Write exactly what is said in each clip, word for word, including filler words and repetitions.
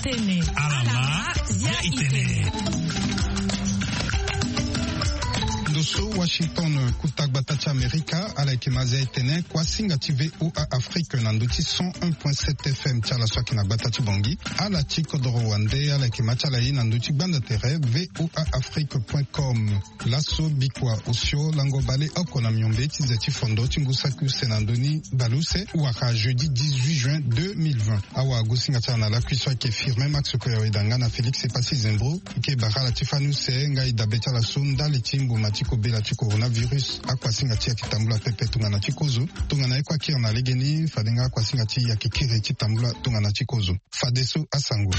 Tene ala ma ya itene. Ndo so Washington, kuta gbata ti Amerika, ala yeke ma zia itene kuasinga ti V O A Afrique na ndö ti cent un point sept F M ti ala so ayeke na gbata ti Bangui. Ala ti kodoro wande, ala yeke ma ti ala ye na ndö ti gbanda tere V O A Afrique point com. Laso bikua osio lango baleoko na miombe ti ze ti fondo ti ngu saki use na ndö ni baleuse wala jeudi dix-huit juin deux mille vingt. Awagosinga ti ala na lakui so ayeke Firmin Max Koyaweda nga na Félix Epassi Zembro. Ike bara ala ti fani use nga e dabe ti ala so ndali ti mbuma ti kobela ti coronavirus. Akuasinga ti e ayeke tambula pepe tongana ti kozo. Tongana e kue akiri na legeni, fade nga akuasinga ti e ayeke kiri ti tambula tongana ti kozo. Fadeso asango.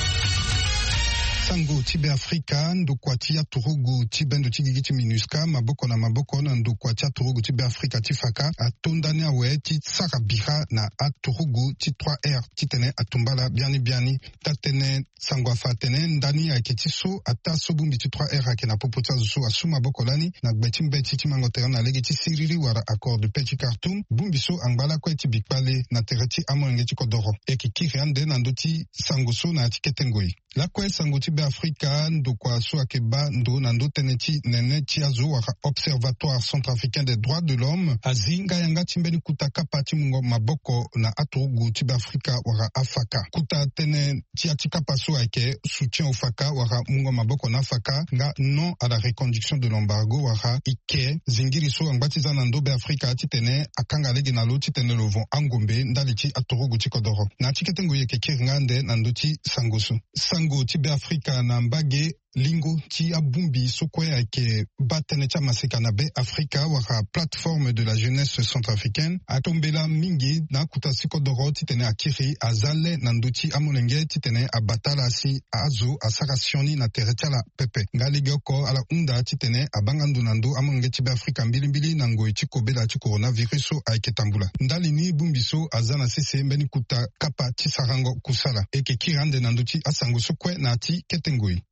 Sango ti Beafrika, ndokua ti aturugu ti bendo ti gigi ti MINUSCA, maboko na maboko na ndokua ti aturugu ti Beafrika ti faka, ato ndani awe ti sara bira na aturugu ti trois R titene atumba ala biani biani. Tatene sango afa atene ndani ayeke ti so ataa so bongbi ti trois R ayeke na popo ti azo so asu maboko lani na gbe ti mbeti ti mango tere na lege ti siriri wala accord de paix ti Khartoum. Bongbi so angba lakue ti bi kpale na tere ti amolenge ti kodoro. E yeke kiri ande na ndö ti sango so na ya ti kete ngoi. Lakue sango ti Beafrika, ndokua so ayeke baa ndo na ndö tënë ti nene ti azo wala Observatoire Centrafricain des Droits de l'Homme azi nga yanga ti mbeni kuta kapa ti mungo maboko na aturugu ti Beafrika wala afaka. Kuta tënë ti ya ti kapa so ayeke soutien au faka wala mungo maboko na afaka nga non à la reconduction de l'embargo wala ike zingiri so angba ti za na ndö Beafrika titene akanga lege na lo titene lo vo angombe ndali ti aturugu ti kodoro. Na ya ti kete ngoi e yeke kiri nga ande na ndö ti sango so. Sango ti Beafrika na mbage lingo ti abongbi so kue ayeke baa tënë ti amaseka na Beafrika wala Plateforme de la Jeunesse Centrafricaine atombela mingi na akuta si kodoro titene akiri aza le na ndö ti amolenge titene abata ala si azo asara sioni na tere ti ala pepe. Nga legeoko ala hunda titene abaa nga ndo na ndö amolenge ti Beafrika mbilimbili na ngoi ti kobela ti coronavirus so ayeke tambula. Ndali ni bongbi so aza na sese mbeni kuta kapa ti sarango kusala. E yeke kiri ande na ndö ti asango so kue na ya ti kete ngoi.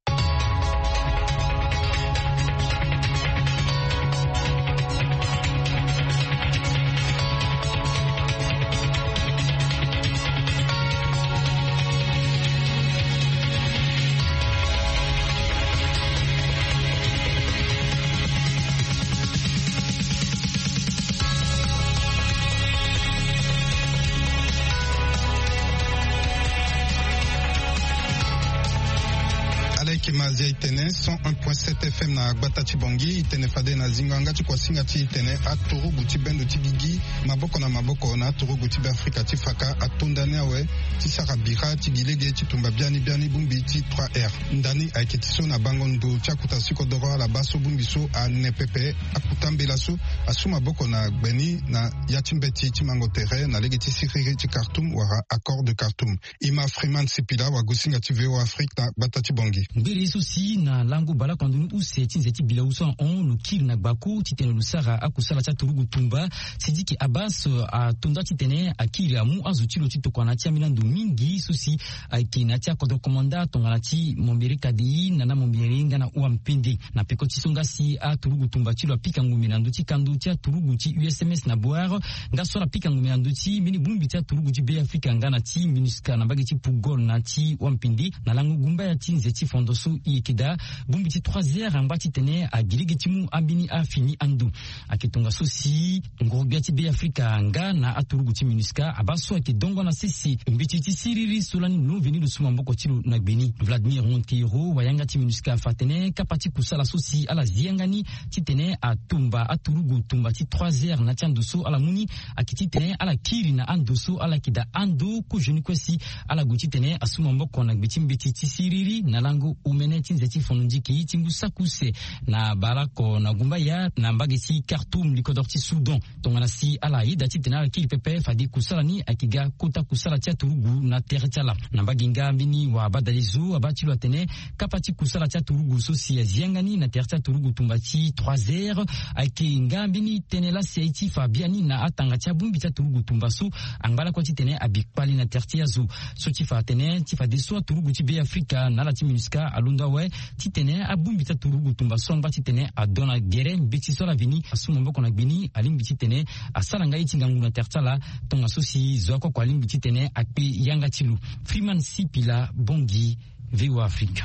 Ala yeke ma zia e tene cent un point sept F M na gbata ti Bangui. E tene fade na zingo yanga ti kuasinga ti e tene aturugu ti bendo ti gigi maboko na maboko na aturugu ti Beafrika ti faka ato ndani awe ti sara bira ti gi lege ti tumba biani biani bongbi ti trois R. Ndani ayeke ti so na bango ndo ti akuta si kodoro ala baa so bongbi so ane pepe. Akuta mbela so asu maboko na gbe ni na ya ti mbeti ti mango tere na lege ti siriri ti Khartoum wala accord de Khartoum. E ma Freeman Sipila, wagosinga ti V O A Afrique na gbata ti Bangui. Ngbere so si na lango baleoko na ndoni use ti nze ti bilau so ahon lo kiri na gbako titene lo sara akusala ti aturugu tumba. Sidiki Abbas atonda titene akiri amu azo ti lo ti tokua na ya ti ambeni ando mingi so si ayeke na ya ti akodro komanda tongana ti Mombere Kadei na na Mombere nga na Uampende. Na peko ti so nga si aturugu tumba ti lo apika ngombe na ndö ti kando ti aturugu ti U S M S na Bouar, nga so ala pika ngombe na ndö ti mbeni bongbi ti aturugu ti Beafrika nga na ti MINUSCA na mbage ti Pugol na ti Wampindi na lango gumbaya ti nze ti fondo so e yeke daa. Bongbi ti trois R angba titene agi lege ti mu ambeni afini ando. Ayeke tongaso si ngoro-gbia ti Beafrika nga na aturugu ti MINUSCA abaa so ayeke dongo na sese mbeti ti siriri so lani lo veni lo su maboko ti lo na gbe ni. Vladimir Monteiro, wayanga ti MINUSCA, afa atene kapa ti kusala so si ala zi yanga ni titene atumba aturugu tumba ti trois R na ya ti ando so ala mu ni ayeke titene ala kiri na ando so ala yeke daa ando kozoni kue si ala gue titene asu maboko na gbe ti mbeti ti siriri na lango omene ti nze ti fondo nziki ti ngu saki use na baleoko na gumbaya na mbage ti Khartoum, likodoro ti Soudan. Tongana si ala yeda titene ala kiri pepe fade kusala ni ayeke ga kota kusala ti aturugu na tere ti ala. Na mbage nga mbeni wabadalezo abaa ti lo atene kapa ti kusala ti aturugu so si azi yanga ni na tere ti aturugu tumba ti trois R ayeke nga mbeni tënë laa si aye ti fa biani na atanga ti abongbi ti aturugu tumba so angba lakue titene abi kpale na tere ti azo. So ti fa atene ti fadeso aturugu ti Beafrika na ala ti MINUSCA Alondo awe titene abongbi ti aturugu tumba so angba titene adon na gere mbeti so ala veni asu maboko na gbe ni alingbi titene asara nga ye ti ngangu na tere ti ala. Tongaso si zo akoko alingbi titene akpe yanga ti lo. Freeman Sipila Bongi, VOA Afrique.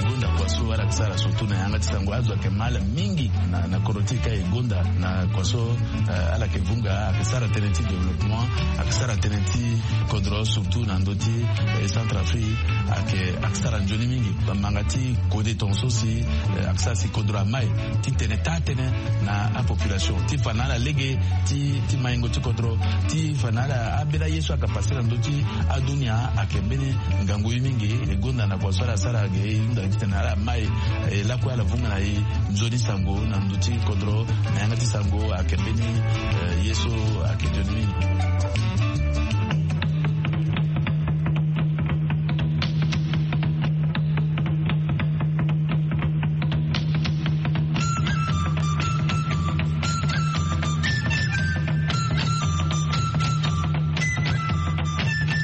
Gonda kua so ala ke sara surtout na yanga ti sango azo ayeke mal mingi na kodro ti e ka e gonda na kua so ala ke vunga ayeke sara tënë ti développement, ayeke sara tënë ti kodro surtout na ndö ti Centrafrique. Ayeke sara nzoni mingi bamanga ti kode tongaso si ayeke sara si kodro amai titene taa tënë na apopulation ti fa na ala lege ti maingo ti kodro ti fa na ala ambela ye so ayeke pase na ndö ti adunia ayeke mbeni ngangu ye mingi. E gonda na kua so ala sara ge e hunda titene ala mai e lakue ala vunga na e nzoni sango na ndö ti kodro na yanga ti sango ayeke mbeni ye so ayeke nzoni mingi.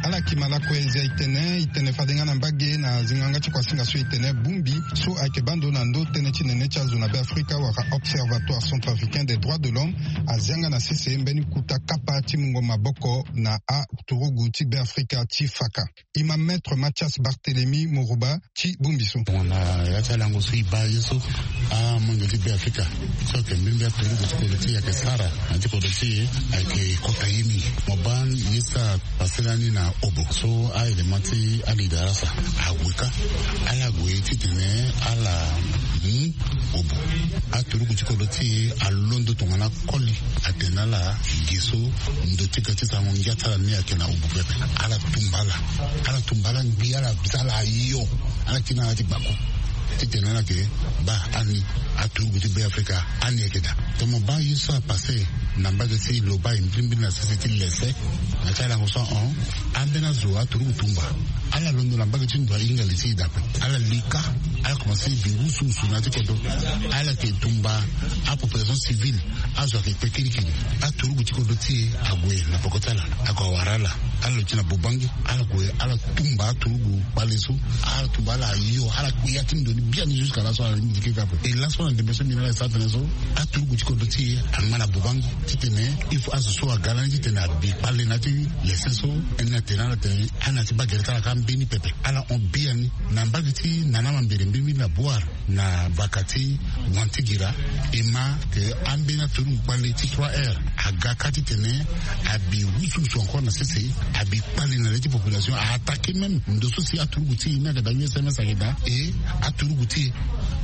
Ala kima lakue nzia itene itene fade nga na mbage na zinga nga ti kuasinga so itene bongbi so ayeke bando na ndö tënë ti nene ti azo na Beafrika wala Observatoire Centrafricain des Droits de l'Homme azia nga na sese mbeni kota kapa ti mungo maboko na aturugu ti Beafrika ti faka. E ma Maître Mathias Barthélemy Morouba ti bongbi so. Tongana ya ti alango so e baa ye so amonge ti Beafrika so ayeke mbirimbiri aturugu ti kodro ti e ayeke sara na ya ti kodro ti e ayeke kota ye mingi. Mo baa ye so apase lani na Obo so a-élément ti alidarasa ague kâ. Ala gue titene ala mu Obo. Aturugu ti kodro ti e alondo tongana koli atene na ala ge so ndo ti ka ti sango ngia ti ala ni ayeke na Obo pepe. Ala tumba ala, ala tumba ala ngbi, ala za ala ayo. Ala ti na ala ti gbako titene ala yeke baa ani aturugu ti Beafrika ani ayeke daa. Tongana mo baa ye so apase na mbage ti Lobaye mbirimbiri na sese ti lese na ti alango so ahon. Ambeni azo aturugu tumba ala londo na mbage ti ndo ahinga li ti e daa ape. Ala li kâ, ala komanse bi wusuwusu na ya ti kodro. Ala yeke tumba apopulation civile. Azo ayeke kpe kirikiri. Aturugu ti kodro ti e ague na peko ti ala, ague awara ala. Ala lo ti na Bobangi, ala gue ala tumba aturugu kpale so. Ala tumba ala ayo, ala kpe ya ti ndo ni biani jusqu'à laso ala lingbi ti kiri kâ ape. E laso na ndembe so mbi na ala e sara tënë so aturugu ti kodro ti e angba na Bobangi titene il faut azo so aga lani titene abi kpale na ya ti lese so. Ni atene ala tene ala na ya ti baa gere ti ala kâ mbeni pepe. Ala hon biani na mbage ti Nana Mambere mbirimbiri na Bouar na vaka ti Wantigira. E ma ke ambeni aturugu kpale ti trois R aga kâ titene abi wusuwusu encore na sese, abi kpale na le ti population, a attaqué même ndo so si aturugu ti e ni ayeke daa, U S M S ayeke daa, e aturugu ti e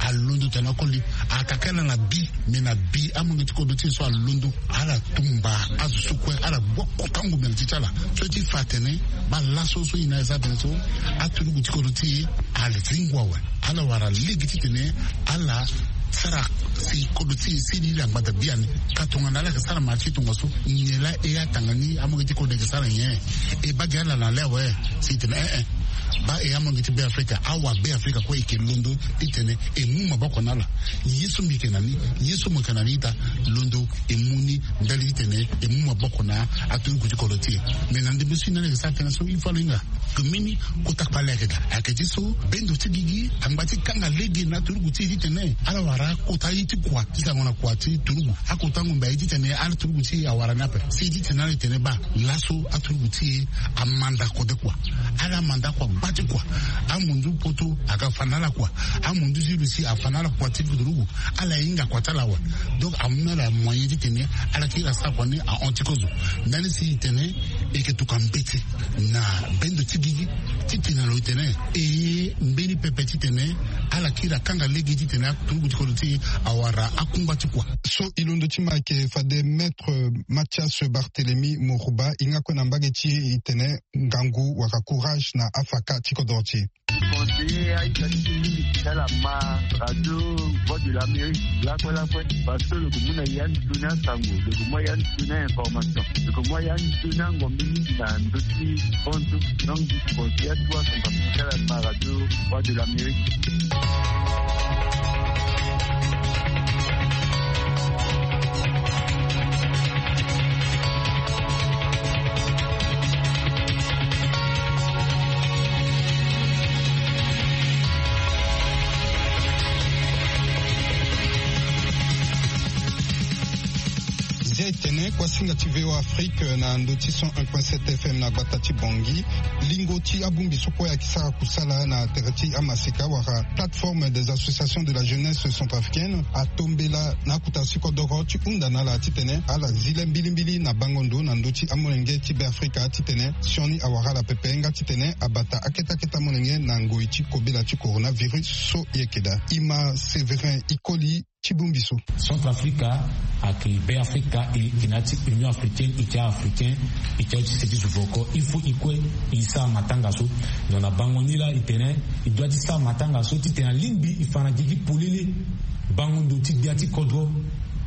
alondo tongana koli. A attaqué ala na bi, me na bi amonge ti kodro ti e so alondo. Ala tumba azo so kue, ala gbu akota ngombe na ti ti ala so ti fa atene baa laso so e na e sara tënë so aturugu ti kodro ti e ale ti ngua awe. Ala wara lege titene ala sara si kodro ti e si lili angbada biani. Ka tongana ala yeke sara ma ti tongaso nyen laa e atanga ni amonge ti kodro ayeke sara nyen? E baa gi ala na le awe si e tene eh eh. Baa e amonge ti Beafrika, awa Beafrika kue e yeke londo titene e mu maboko na ala. Ye so mbi yeke na ni, ye so mo yeke na ni ita, londo e mu ni ndali titene e mu maboko na aturugu ti kodro ti e. Me na ndembe so e na ala yeke sara tënë so il faut ala hinga ke mbeni kota kpale ayeke daa. Ayeke ti so bendo ti gigi angba ti kanga lege na aturugu ti e titene ala wara akota ye ti kua ti sango na kua ti turugu. Akota ngombe aye titene ala turugu ti e awara ni ape. Si titene ala tene baa laso aturugu ti e amanda kode kua. Ala manda kua gba ti kua. Amunzu poto aga fa na ala kua. Amunzu ti Russie afa na ala kua ti turugu. Ala hinga kua ti ala awe. Donc amu na ala moyen titene ala kiri asara kua ni ahon ti kozo. Ndani si e tene e yeke tokua mbeti na bendo ti gigi titene lo e tene e ye mbeni pepe titene ala kiri akanga lege titene aturugu ti kodro ti e awara akungba ti kua. So e londo ti ma ayeke fade Maître Mathias Barthélemy Morouba e hinga kue na mbage ti e e tene ngangu wala courage na afaka ti kodro ti e. Conseiller aita ti e mingi ti ala ma radio Voix de l'Amérique lakue lakue, parce que lo yeke mu na ya ni tuni asango, lo yeke mu ya ni tuni information, lo yeke mu ya ni tuni angombe mingi na ndö ti bonzo. Donc mbi conseiller atuwa sango ti ala ma radio Voix de l'Amérique. Etene kuasinga ti V O A Afrique na ndö ti cent un point sept F M na gbata ti Bangui. Lingo ti abongbi so kue ayeke sara kusala na tere ti amaseka wala plateforme des associations de la jeunesse centrafricaine atombela na akota ti kodoro ti hunda na ala titene ala zi le mbilimbili na bango ndo na ndö ti amolenge ti Beafrika titene sioni awara ala pepe nga titene abata akete akete amolenge na ngoi ti kobela ti coronavirus so e yeke daa. E ma Séverin Ikoli ti bongbi so. Centrafrica ayeke Beafrika, e yeke na ya ti Union africaine, e yeke africain, e yeke ya ti se ti zo oko. Il faut e kue e sara matanga so. Donc na bango ni laa e tene e doit ti sara matanga so titene alingbi e fa na gigi polele bango ndo ti gbia ti kodro,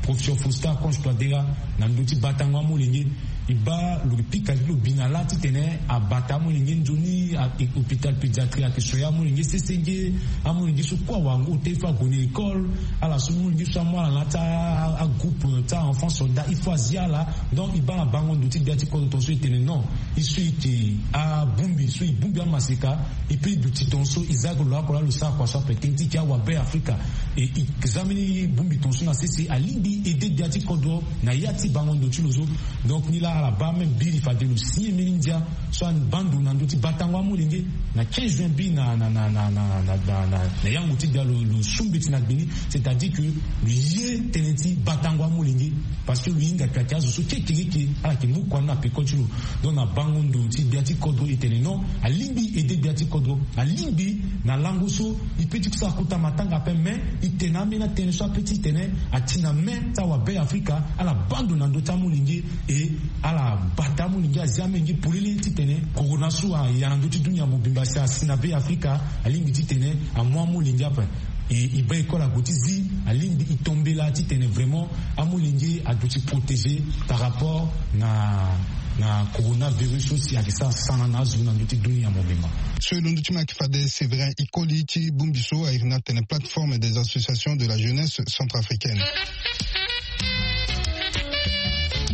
Professeur Faustin Archange Touadéra, na ndö ti batango amolenge. E baa lo pika ti lo bi na lâ titene abata amolenge nzoni, a- e- hôpital pédiatrie ayeke soigner amolenge sese nge. Amolenge so kue awarango ota il faut ague na école. Ala so molenge so amu ala na ya ti a- a- agroupe ti a-enfant soldat il faut azi ala. Donc e baa na bango ndo ti gbia ti kodro tongaso e tene non, e so e yeke abongbi so e bongbi amaseka, e peut e duti tongaso e za ake lo oko laa lo sara kua so ape tënë ti e yeke awa Beafrika. E e za mbeni bongbi tongaso na sese alingbi e aidé gbia ti kodro na ya ti bango ndo ti lo so. Donc ni laa ala baa même biri fade lo signé mbeni ndia so abaa ndo na ndö ti batango amolenge na quinze juin bi na na na na na na na na yango ti gbia lo lo su mbeti na gbe ni. C'est-à-dire que lo ye tënë ti batango amolenge parce que lo hinga kpe ayeke azo so kekeke ala yeke mu kua ni na peko ti lo. Donc na bango ndo ti gbia ti kodro e tene non, alingbi e aidé gbia ti kodro, alingbi na lango so e peut ti sara kota matanga ape mais e tene ambeni atënë so ape titene ati na main ti awa Beafrika ala baa ndo na ndö ti amolenge. E ala bata amolenge, azi amolenge polele titene corona so aya na ndö ti dunia mobimba si asi na Beafrika, alingbi titene amu amolenge ape. E e baa école ague ti zi, alingbi e tombela titene vraiment amolenge aduti protégé par rapport na na coronavirus so si ayeke sara sana na azo na ndö ti dunia mobimba. So e londo ti ma ayeke fade Séverin Ikoli ti bongbi so a iri ni atene plateforme des associations de la jeunesse centrafricaine.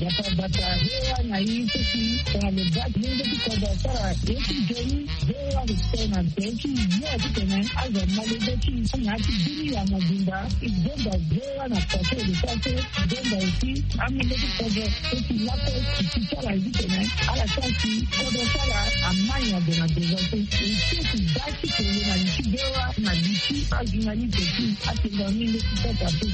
Bata bata, V O A na i so si tongana lo baa ti lenge ti kodro asara ye ti nzoni, V O A respect na tene ti yo titene azo malege ti na ya ti dunia mobimba. E gonda V O A na kua so e lo sara so, e gonda aussi amolenge ti kodro so si lakue e ti ti ala titene ala sara si kodro ti ala amai na gue na devant so. E ti e ti baa ti kolo na li ti V O A na li ti ajournaliste ti atenda amolenge ti kodro so.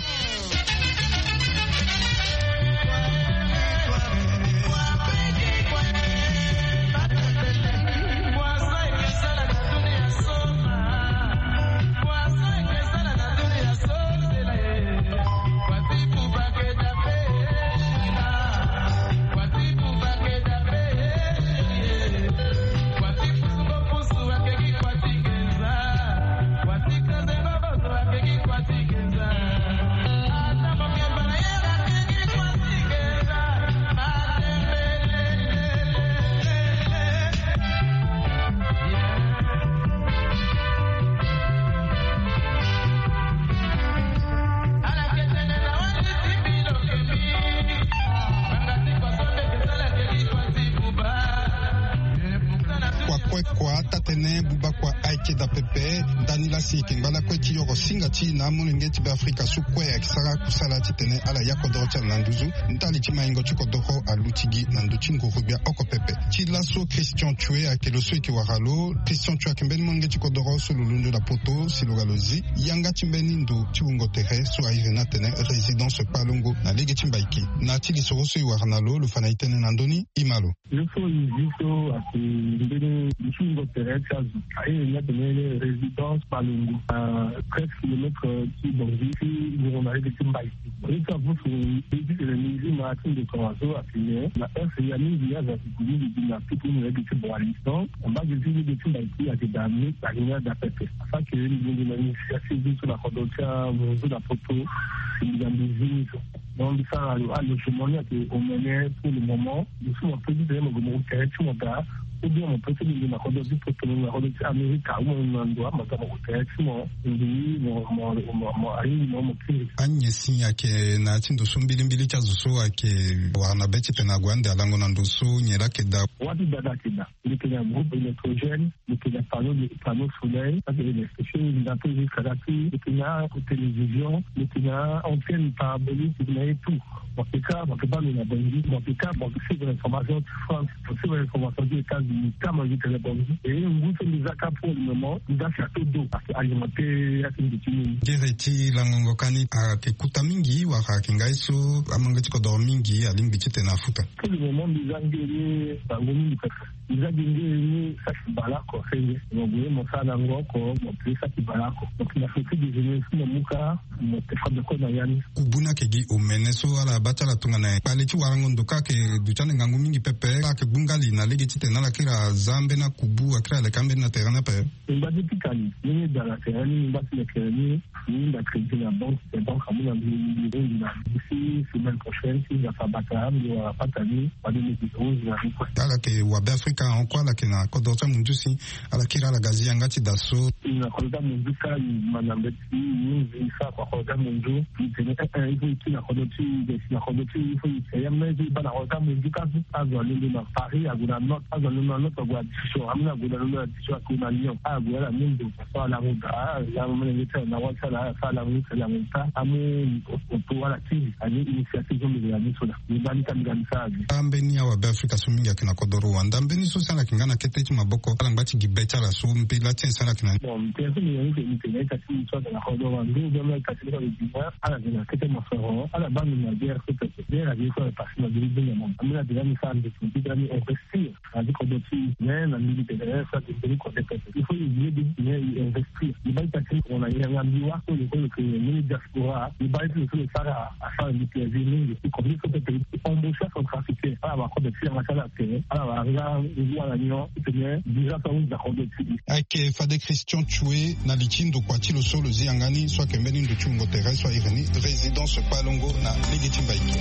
Kua kue kua, taa-tënë buba kua ayeke daa pepe. Ndani laa si e yeke ngba lakue ti yoro singa ti na amolenge ti Beafrika so kue ayeke sara kusala titene ala ya kodoro ti ala na nduzu. Ndali ti maingo ti kodoro aluti gi na ndö ti nguru-gbia oko pepe. Ti laso Christian Tchoué ayeke lo so e yeke wara lo. Christian Tchoué ayeke mbeni molenge ti kodoro so lo londo na poto si lo ga lo zi yanga ti mbeni ndo ti wungo tere so a iri ni atene résidence Palongo na lege ti Mbaiki. Na ti lisoro so e wara na lo, lo fa na e tënë na ndö ni. E ma lo. Yo so e zi so ayeke mbeni ndo ti wungo tere ti azo. A iri ni atene résidence Palongo, na treize kilomètres ti Bangui, ti nduru na lege ti Mbaiki. Ye so avusu e ti tene ni zi ma ti ndo tongaso atene na heure ya mingi azo ayeke gue mingi gi na tutu na lege ti Boali. Donc na mbage ti lege ti Mbaiki ayeke daa ni, ayeke ni adaa pepe. Afa ke mbi gue na initiative so na kodro ti amunzu na poto, mbi ga mbi zi ni so. Donc mbi sara alogement ni ayeke omene pour le moment. Mbi so mo pe ti tene mo gue mo tere ti mo daa. Ou bien mo pe ti lingbi na kodro ti poto, na kodro ti Amerika, ou mo na ndo ama ga mo ko tere ti mo. Mbi mo mo mo mo ahingi mo mo kiri. Anyen si ayeke na ya ti ndo so mbilimbili ti azo so ayeke wara na be ti tene ague ande alango na ndo so nyen laa ayeke daa. Wâ ti dada ayeke daa. Mbi yeke na groupe électrogène, mbi yeke na panneau de panneau solaire, ça c'est les spéciaux, mbi na pe jusqu'à là ti mbi yeke na télévision, mbi yeke na antenne parabolique, mbi yeke na ye tout. Mo yeke ka mo yeke baa lo na Bangui, mo yeke ka mo yeke suivre information ti France, mo suivre information ti États-Unis, ka mo yeke tene Bangui. E ngu so mbi za ka pour le moment mbi za château d'eau, parce que alimenté ya ti mbi ti mini. Gere ti langongo ka ni ayeke kuta mingi wala ayeke ngai so amange ti kodoro mingi alingbi ti tene afuta. Pour le moment mbi za nge ni bango mingi pepe. Mbi za gi nge ni saki baleoko senge. Mo gue mo sara na ngo oko, mo pe saki baleoko. Donc na feti déjeuner si mo mu ka mo te fa de ko na ya ni. Kubu ni ayeke gi omene so ala baa ti ala tongana kpale ti warango ndo ka ayeke duti ande ngangu mingi pepe. Ala yeke gbu ngali na lege ti tene ala kiri aza ambeni akubu, akiri aleke ambeni na tere ni ape. Mbi ngba ti pika ni, ni ni da na tere ni, mbi ngba ti leke ni. Mbi hinda crédit na banque, te banque amu na mbi, mbi hunzi na mbi si semaine prochaine si Nzapa abata mbi wara pata ni, fade mbi hunzi na mbi kue. Ala yeke wa Beafrika ahon kue, ala yeke na kodro ti amunzu si ala kiri ala ga zi yanga ti da so. Mbi na kodro ti amunzu ka, mbi ma na mbeti, mbi hunzi sa kua kodro ti amunzu. Mbi tene eh eh, il faut e kiri na kodro ti e, e si na kodro ti e, il faut e si ya me so e baa na kodro ti amunzu ka so. Azo alondo na Paris ague na note, azo alondo na note ague na diction, ameni ague na londo na diction ague na Lyon, ague ala mu ndo. So ala mu da ala mu mene nge ti ala na wâ ti ala, so ala mu ti ala mu ta amu oto ala kiri ani initiative so mbi yeke na ni so da. Mbi baa ni ka mbi ga mbi sara gi. Ambeni awabe Afrika so mingi ayeke na kodoro wanda, mbeni so si ala yeke nga na kete ti maboko ala ngba ti gi be ti ala so mpe la ti nyen si ala yeke na ni. Bon, mbi tene so mbi yeke ni ke mbi tene ita ti mbi so ayeke na kodoro wanda, ou bien mbi ita ti mbi so ayeke na kete mosoro, ala baa mbi na guerre so pepe. Guerre ayeke so ayeke passé na mbi ti bini na mama. Ambeni adega mbi sara mbi ti mbi ti da mbi investir. Adi kodro ti e, mais na mbi mbi tene eh so adi mbeni kodro pepe. Il faut e ye mbi, mais e investir. E baa ita ti mo na yanga mbi wâ so e ko lo ke mbeni diaspora. E baa e ti lo so lo sara asara mbi plaisir mingi. E kodro so pepe e embaucher centrafricain. Ala wara kodro ti yanga ti ala tere. Ala wara nga ngu ala nyon ti tene visa so ahunzi na kodro ti e. Ayeke fade Christian Tchoué na li ti ndokua ti lo so lo zi yanga ni so ayeke mbeni ndo ti wungo tere so ahiri ni Résidence Palongo na lege ti Mbaïké.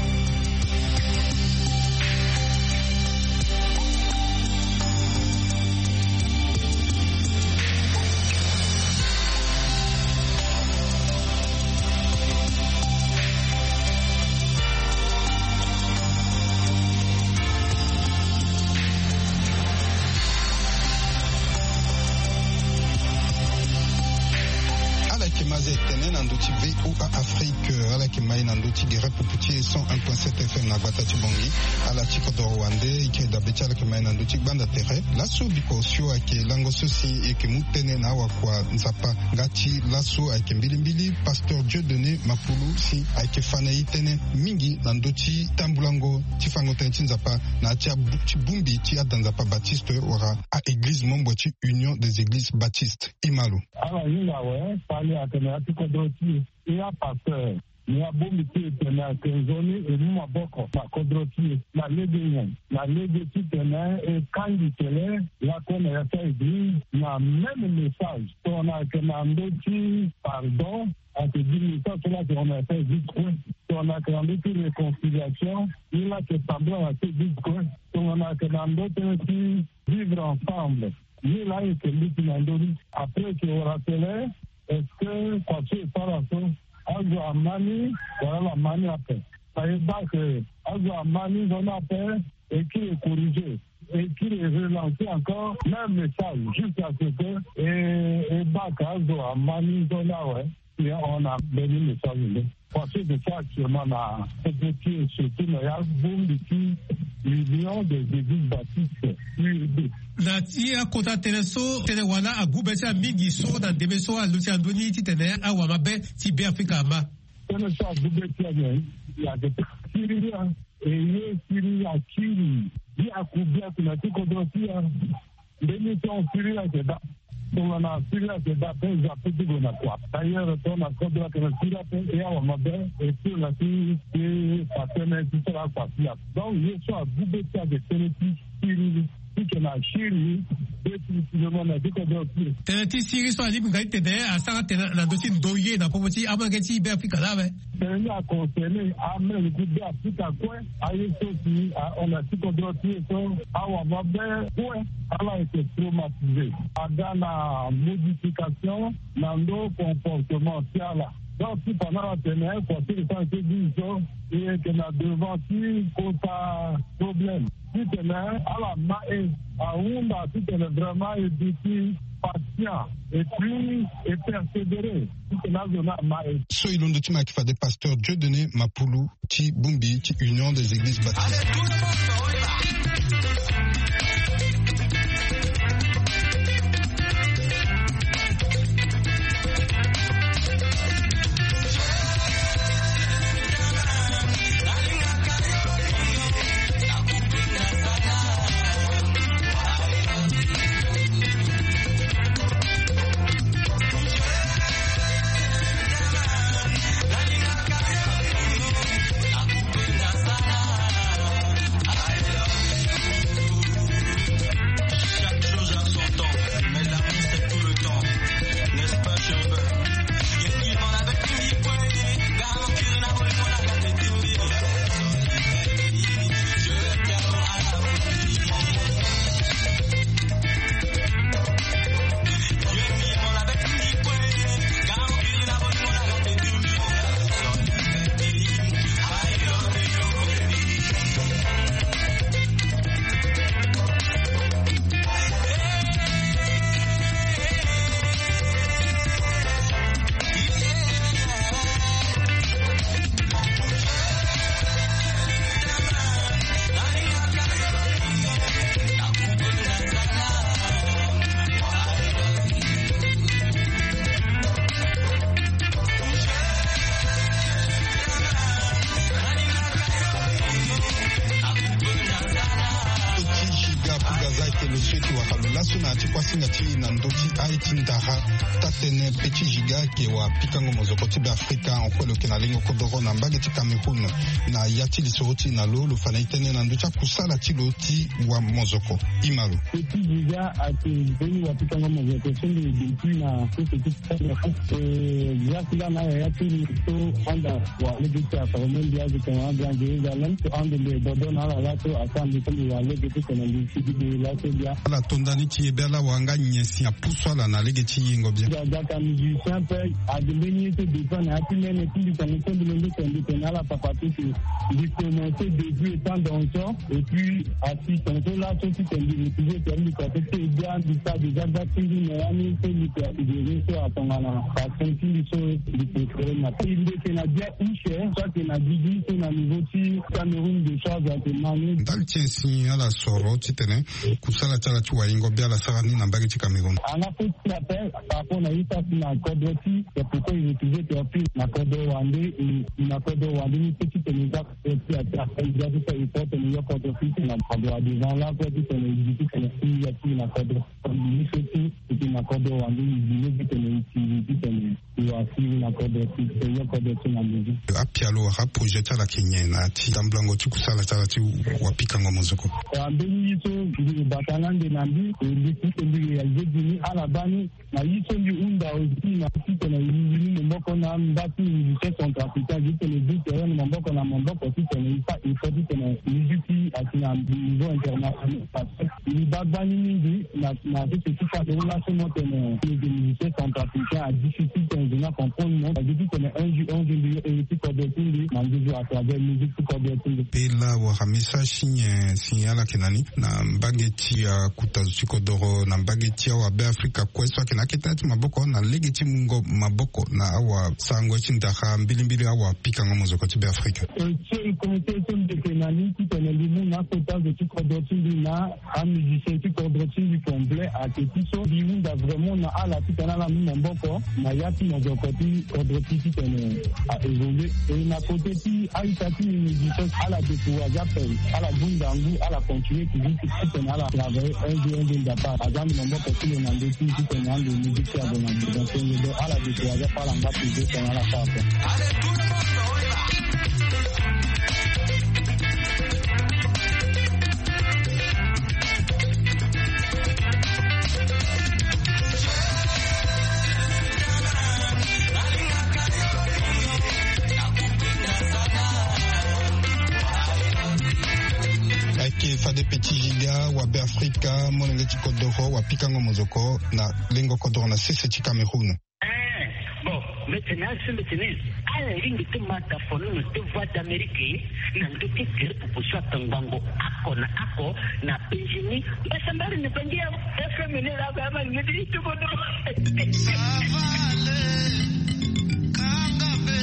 Ala yeke ma aza e tene na ndö ti V O A Afrique, ala yeke ma e na ndö ti gere pupu ti e cent un point sept F M na gbata ti Bangui. Ala ti kodoro wande e yeke dabe ti ala yeke ma e na ndö ti gbanda tere. Laso biko osio ayeke lango so si e yeke mu tënë na awakua Nzapa. Nga ti laso ayeke mbilimbili pasteur Dieudonné Mapulu si ayeke fa na e tënë mingi na ndö ti tambulango ti fango tënë ti Nzapa na ya ti abu-, ti bongbi ti ada Nzapa Baptiste wala a-église membres ti Union des Églises Baptistes. E ma lo. Ala hinga awe, fade atene ya ti kodro ti e, e apasteur, me abongbi ti e tene ayeke nzoni e mu maboko na kodro ti e na lege nyen? Na lege titene e kangi kele lakue na ya ti a-église na même message. Tongana ayeke na ndö ti pardon, ayeke gi message so la tongana ayeke gi kue. Tongana ayeke na ndö ti réconciliation, ni la ayeke tambula na ti église kue. Tongana ayeke na ndö tënë ti vivre ensemble, ni la ayeke mbeti na ndö ni. Après e yeke wara tene, est-ce que kua so e sara so azo ama ni wala ala ma ni ape? Na e baa ke azo ama ni, zo ni ape, e kiri e corriger, e kiri e relancer encore même message jusqu'à ce que e, e baa ke azo ama ni, zo ni awe. Bien, on a béni le message. Parce que c'est ça actuellement na surtout na ya bongbi ti Union des Églises Baptistes, U E B. Na ti akota tënë so, tënë wala agu be ti ala mingi so na ndembe so aluti na ndö ni titene awamabe ti Beafrika ama. Tënë so agu be ti ala nyen? Ayeke tënë siriri, e ye siriri, akiri biaku biaku na ti kodro ti ala. Mbeni so siriri ayeke daa. Tongana siriri ayeke daa ape, e za pe ti gue na kua. D'ailleurs tongana kodro ayeke na siriri ape, e awamabe, e siriri na ti, ti fa tënë ti sara akua ti ala. Donc ye so agu be ti ala ayeke tënë ti siriri. Ti yeke na siriri, Tënë ti siri so alingbi nga ti tene asara tene na ndö ti ndoye na popo ti amolenge ti Be Afrika laa awe. Tene ni aconcerné amolenge ti Be Afrika kue. Aye so si ahon na ti kodro ti e so, awamabe kue, ala ete traumatisé. Aga na modification na ndö comportement ti ala. Donc ti fa na ala tene kua ti e so ayeke gi so, e yeke na devant ti kota problème. Titene ala ma e, ahunda titene vraiment e duti patient et puis e persévérer titene azo ni ama e. So e londo ti ma ayeke fade pasteur Dieudonné Mapulu ti bongbi ti Union des Églises Baptistes. Chaque chose a son temps, mais l'amour c'est tout le temps, n'est-ce pas, Chérubin? Petit Giga Kugaza ayeke lo so ayeke wara lo laso na ya ti kuasinga ti e na ndö ti aye ti ndara. Taa-tënë Petit Giga ayeke wapikango mozoko ti Be Afrika, en fait lo yeke na lengo kodoro na mbage ti Cameroun. Na ya ti lisoro ti e na lo, lo fa na e tënë na ndö ti akusala ti lo ti wamozoko. Ima lo. Petit Giga ayeke mbeni wapikango mozoko so mbi duti na sese ti Grâce nga na yaya ti mbi so anda wa lege ti aforme mbi azo tongana Grand Jérusalem so ande mbi e dodo na ala laso asara mbi so mbi wa lege ti tene mbi sigi be laso bia. Ala to nda ni ti e be ala wa nga nyen si apusu ala na lege ti yengo bia. Aga ka musicien ape. Ade mbeni ye so dépend na ya ti mene ti mbi tongo so mbi londo tene mbi tene ala papa ti si mbi commencé début étant danseur et puis asi tongo so laso ti tene mbi refusé tene mbi kua so ti e bia mbi sara déjà gba ti mbi na ya ni so mbi kua. Iri so atongana passion ti mbi so mbi préféré na ti mbi yeke na bia use so ayeke na gigi so na niveau ti Cameroun de charge ayeke ma ni. Ndali ti nyen si ala soro titene kusala ti ala ti wayingo bia ala sara ni na mbage ti Cameroun? Ana fo ti appel par rapport na ye so asi na kodro ti c'est pourquoi il refusait de appuyer na kodro wande. Na kodro wande ni so titene e ga kodro ti ate appel bia so so e porte ni yo kodro ti tene na kodro devant la kodro ti tene e gi titene e ya ti na kodro. Ni so ti e ti na kodro wande e gi ni titene e ti gi titene e wa si na kodro ti tene yo kodro ti na ndezi. Apialo wala aprojet ti ala ayeke nyen na ya ti tambulango ti kusala ti ala ti wapikango mozoko? Ambeni ye so mbi bata na ande na mbi e mbi ti tene mbi réalisé gi ni ala baa ni. Na ye so mbi hunda aussi na titene e lingbi ni maboko na mba ti musicien centrafricain titene e du terrain na maboko na maboko titene e fa effort titene musique ti asi na niveau international parce que e baa gbani mingi na na sese ti Cameroun laso mo tene lege musicien centrafricain a difficile tene zo ni acomprendre mo. Parce que titene un jour un jour mbi yo ere ti kodro ti mbi na nduzu à travers musique ti kodro ti mbi. Pe la wara message ti nyen si ala yeke na ni na mbage ti akuta zo ti kodoro na mbage ti awabe Afrika kue so ayeke na akete ti maboko na lege ti mungo maboko na awasarango ye ti ndara mbilimbili awapikango mozoko ti Be Afrika. Ti e komite so mbi yeke na ni titene mbi mu na akota zo ti kodro ti mbi na amusicien ti kodro ti mbi complet ayeke ti so mbi hunda vraiment na ala titene ala mu maboko na ya ti mozoko ti kodro ti titene a évolué. E na kote ti a-ita ti mbi mbi gi so ala découragé ape, ala bunda ngu, ala continué toujours ti titene ala travaillé un jour un jour nzapa aza mbi na maboko ti lo na ndö ti titene ande musique ti azo na ndö. Donc ala découragé ape, ala ngba toujours titene ala sara ape. Molenge ti kodoro wa pikango mozoko na lengo kodoro na sese ti Cameroun. Eh, bon, mete na asembe tene ala lingbi ti mata fono na te Voix d'Amérique na ndö ti gere pupu so atangbango ako na ako na Benjini. Mbasambari ni bangi ya F M ni la ba ma ngedi ti kodoro. Ça va aller. Kangabe,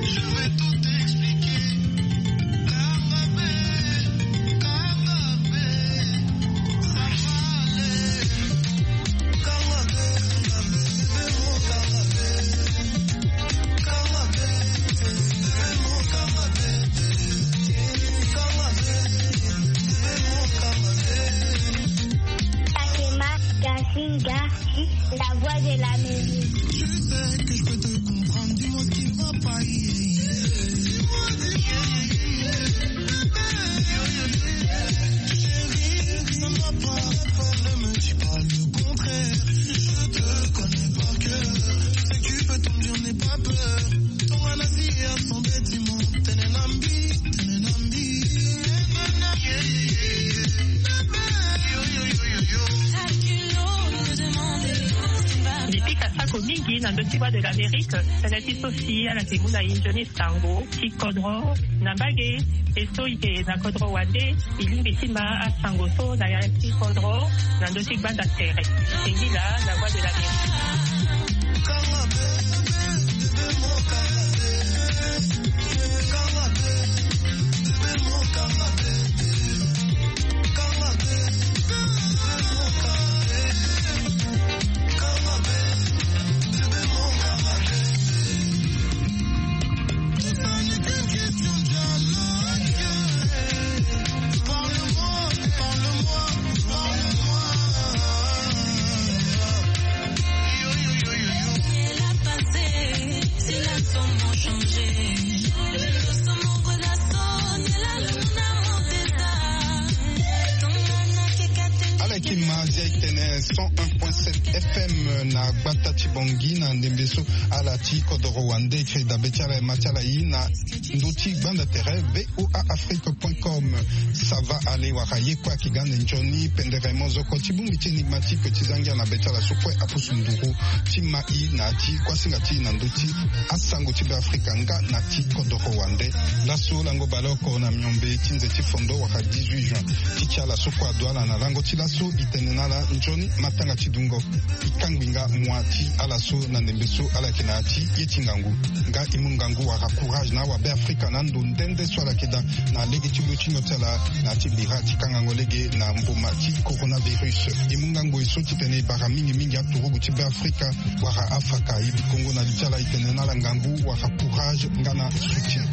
je vais tout expliquer. Kangabe, kangabe, ça va aller. Kangabe, kangabe, kangabe, kangabe, kangabe, kangabe. Fatima Kasinga, la voix de l'Amérique. Je sais que je peux te comprendre, dis-moi ce qui ne va pas. Chérie, ça ne va pas. Ne me dis pas le contraire. Je te connais par cœur. Je sais que tu peux tomber, n'aie pas peur. Ton manasi est à son bâtiment. Tenenambi, tenenambi. Mbi pika sako mingi na ndö ti Voix de l'Amérique. Tënë ti so si ala yeke mu na e nzoni sango ti kodro na mbage. E so e yeke na kodro wande, e lingbi ti ma asango so na ya ti kodro na ndö ti gbanda tere. Singila na Voix de l'Amérique. Ala yeke ma zia e tene cent un point sept F M na gbata ti Bangui na ndembe so ala ti kodoro wande. E kiri dabe ti ala e ma ti ala e na ndö ti gbanda tere V O A Afrique point com. Ça va aller wala ye kue ayeke ga na nzoni pendere mozoko ti bongbi ti énigmatique ti zangia na be ti ala so kue apusu nduru ti ma e na ya ti kuasinga ti e na ndö ti asango ti Beafrika nga na ti kodoro wande. Laso lango baleoko na miombe ti nze ti fondo wala dix-huit juin ti ti ala so kue adu ala na lango ti laso e tene na ala nzoni matanga ti dungo. E kangbi nga mua ti ala so na ndembe so ala yeke na ya ti ye ti ngangu. Nga e mu ngangu wala courage na awabe Afrika na ando nde nde so ala yeke daa na lege ti lo ti nyon ti ala na ya ti bira ti kangango lege na mboma ti coronavirus. E mu ngangu e so titene e bara mingi mingi aturugu ti Beafrika wala afaka. E bi kongo na li ti ala e tene na ala ngangu wala courage nga na soutien.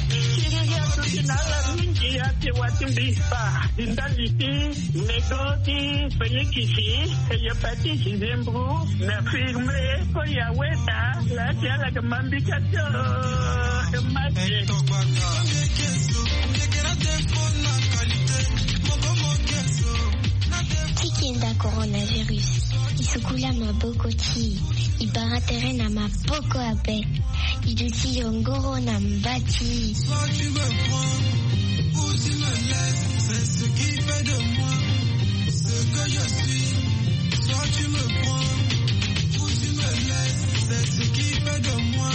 Siriri atuti na ala mingi ate wa ti mbi fa. Di ndali ti mego ti felikisi, hepatite zembro na firme ko ya weta la ti ala ke mambika to. Mate. Ti kenda coronavirus, e sukula maboko ti e, e bara tere na maboko ape. E duti yongoro na mba ti e. Soit tu me prends, ou tu me laisses, c'est ce qui fait de moi ce que je suis. Soit tu me prends, ou tu me laisses, c'est ce qui fait de moi.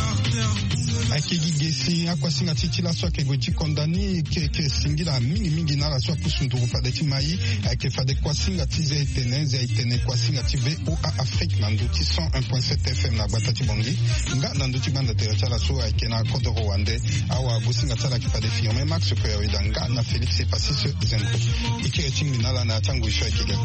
Ayeke gi ge si akuasinga ti ti laso ayeke gue ti konda ni. Ayeke singila mingi mingi na ala so apusu nduru fade ti ma e. Ayeke fade kuasinga ti zia e tene, zia e tene kuasinga ti V O A Afrique na ndö ti cent un point sept F M na gbata ti Bangui. Nga na ndö ti gbanda tere ti ala so ayeke na kodoro wande. Awagosinga ti ala ayeke fade firme Max Koyaweda nga na Félix Epasis Zembro. E kiri ti ngbi na ala na ya ti angoi so ayeke ga.